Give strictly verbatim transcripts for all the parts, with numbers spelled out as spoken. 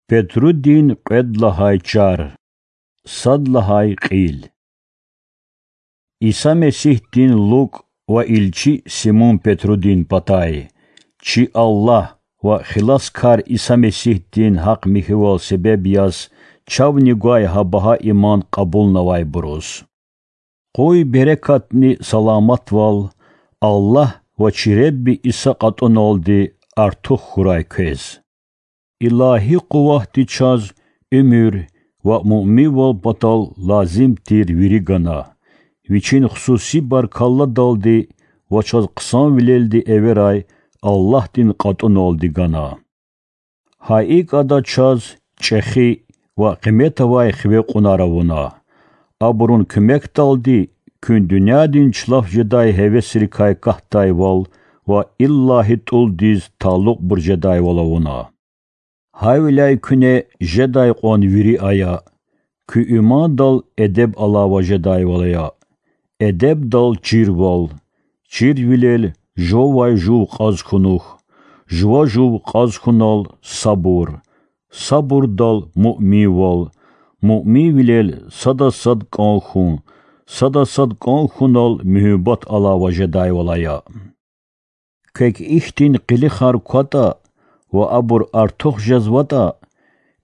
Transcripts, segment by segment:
Петрудин кьвед лагьай чар. Сад лагьай кьил. Иса Месигьдин лукӀ ва илчи Симун Петрудин патай, чи Аллагь ва Хиласкар Иса Месигьдин гьахъ-михьивал себеб яз, чавни гвай гьа багьа иман кьабулнавайбуруз. Къуй берекатни саламатвал Аллагь ва чи Ребби Иса кьатӀуналди артух хьурай квез. Илагьи къуватди чаз уьмуьр ва муъминвал патал лазим тир вири гана, Вичин хсуси баркалладалди ва чаз хъсанвилелди эверай Аллагьдин кьатӀуналди гана. Гьа икӀ Ада чаз чӀехи ва къимет авай хиве кьунар авуна, абурун куьмекдалди куьн дуьньядин чӀулав жедай гьевесрикай катдайвал ва иллази тӀулдиз талукьбур жедайвал авуна. Гьавиляй куьне жедай кьван вири ая: куь имандал эдеб алава жедайвал ая, эдебдал чирвал, чирвилел жувавай жув кьаз хьунухь, жува жув кьаз хьунал сабур, сабурдал муъминвал, муъминвилел сада сад кӀан хьун, сада сад кӀан хьунал муьгьуьббат алава жедайвал ая. Квек ихьтин къилихар кватӀа ва абур артух жезватӀа,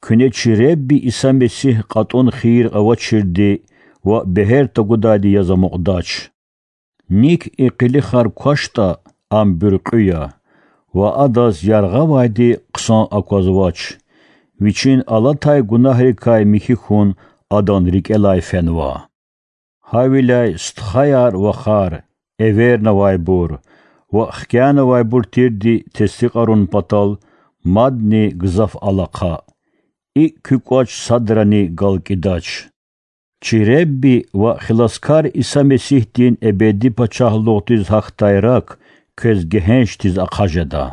куьне чи Ребби Иса Месигь кьатӀун хийир авачирди ва бегьер тагудайди яз амукьдач. НикӀ и къилихар квачтӀа, ам буьркьуь я ва адаз яргъавайди хъсан аквазвач, вичин алатай гунагьрикай михьи хьун адан рикӀелай фенва. Гьавиляй стхаяр-вахар, эвернавайбур ва хкянавайбур тирди тестикьарун патал мадни гзаф алахъа, икӀ куь кӀвач садрани галкӀидач. Чи Ребби ва Хиласкар Иса Месигьдин эбеди пачагьлугъдиз гьахьдай рак квез гегьеншдиз ахъа жеда.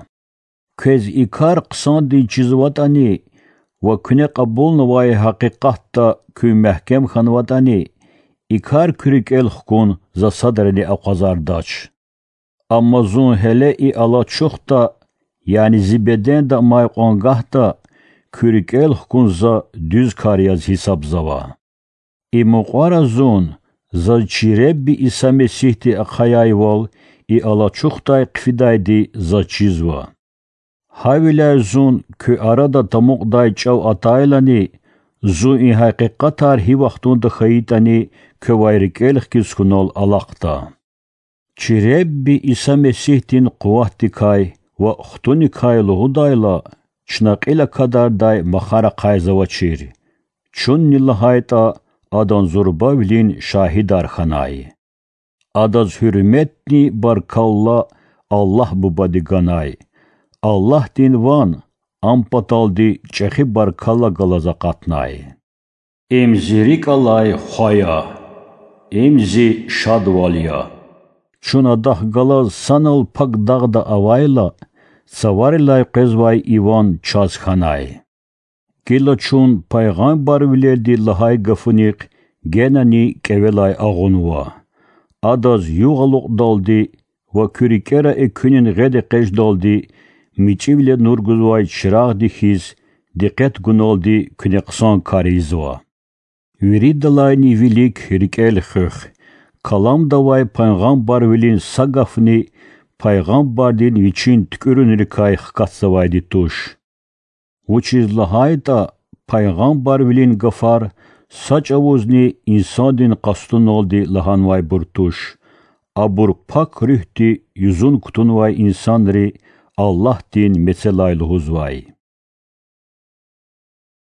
Квез и кар хъсандиз чизватӀани ва куьне кьабулнавай гьакъикъатда куьн мягькем хьанватӀани, и кар куь рикӀел хкун за садрани акъвазардач. Амма зун гьеле и алачухда, яни зи беденда амай кьван гагьда, куь рикӀел хкун за дуьз кар яз гьисабзава. И мукьвара зун заз чи Ребби Иса Месигьди ахъаяйвал и алачухдай хъфидайди заз чизва. Гьавиляй зун куь арада тамукьдай чӀав атайлани, зун и гьакъикъатар гьи вахтунда хьайитӀани квевай рикӀел хкиз хьунал алахъда. Чи Ребби Иса Месигьдин къуватдикай ва хтуникай лугьудайла, чна кьил акадардай махар ахъайзавачир, чунни лагьайтӀа, Адан зурбавилин шагьидар хьанай. Адаз гьуьрметни баркалла Аллагь Бубади ганай. Аллагьдин ван Ам паталди чӀехи баркалла галаз акъатнай. Им Зи рикӀ алай Хва я, им Зи шадвал я. Чун Адахъ галаз санал пак дагъда авайла, цаварилай къвезвай и ван чаз хьанай. Гила чун пайгъамбарвилелди лагьай гафунихъ генани кӀевелай агъунва: Адаз югъ алукьдалди ва куь рикӀера экуьнин гъед экъечӀдалди мичӀивиле нур гузвай чирагъди хьиз, дикъет гуналди куьне хъсан кар ийизва. Виридалайни вилик рикӀел хуьх: Каламда авай пайгъамбарвилин са гафни пайгъамбардин вичин туькӀуьрунрикай хкатзавайди туш. Вучиз лагьайтӀа пайгъамбарвилин гафар са чӀавузни инсандин къастуналди лагьанвайбур туш, абур Пак Руьгьди юзун кутунвай инсанри Аллагьдин мецелай лугьузвай.